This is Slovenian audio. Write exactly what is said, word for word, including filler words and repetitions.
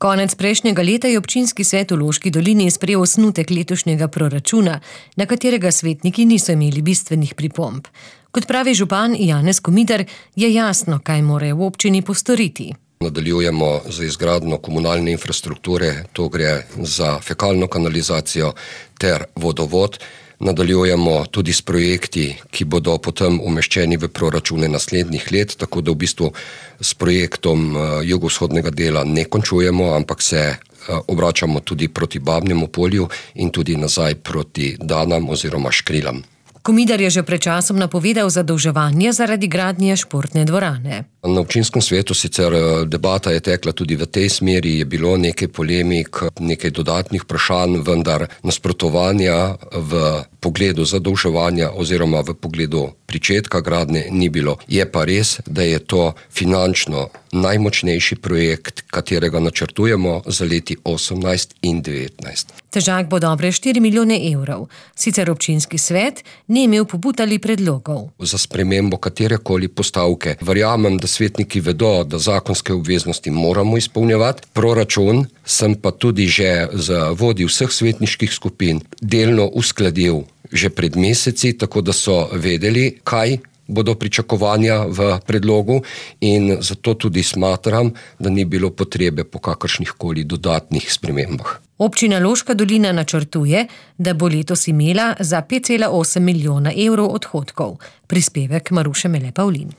Konec prejšnjega leta je občinski svet v Loški dolini sprejel osnutek letošnjega proračuna, na katerega svetniki niso imeli bistvenih pripomb. Kot pravi župan Janez Komitar, je jasno, kaj morajo v občini postoriti. Nadaljujemo z izgradnjo komunalne infrastrukture, to gre za fekalno kanalizacijo ter vodovod. Nadaljujemo tudi s projekti, ki bodo potem umeščeni v proračune naslednjih let, tako da v bistvu s projektom jugovzhodnega dela ne končujemo, ampak se obračamo tudi proti Babnemu polju in tudi nazaj proti Danam oziroma Škrilam. Komitar je že pred časom napovedal zadolževanje zaradi gradnje športne dvorane. Na občinskem svetu sicer debata je tekla tudi v tej smeri, je bilo nekaj polemik, nekaj dodatnih vprašanj, vendar nasprotovanja v pogledu zadolževanja oziroma v pogledu pričetka gradnje ni bilo. Je pa res, da je to finančno najmočnejši projekt, katerega načrtujemo za leti osemnajst in devetnajst. Težak bo dobre štiri milijone evrov. Sicer občinski svet ni imel pobud ali predlogov. Za spremembo katerekoli postavke verjamem, da svetniki vedo, da zakonske obveznosti moramo izpolnjevati. Proračun sem pa tudi že z vodji vseh svetniških skupin delno uskladil že pred meseci, tako da so vedeli, kaj bodo pričakovanja v predlogu, in zato tudi smatram, da ni bilo potrebe po kakršnih koli dodatnih spremembah. Občina Loška dolina načrtuje, da bo letos imela za pet cela osem milijona evrov odhodkov. Prispevek Maruše Mele Pavlin.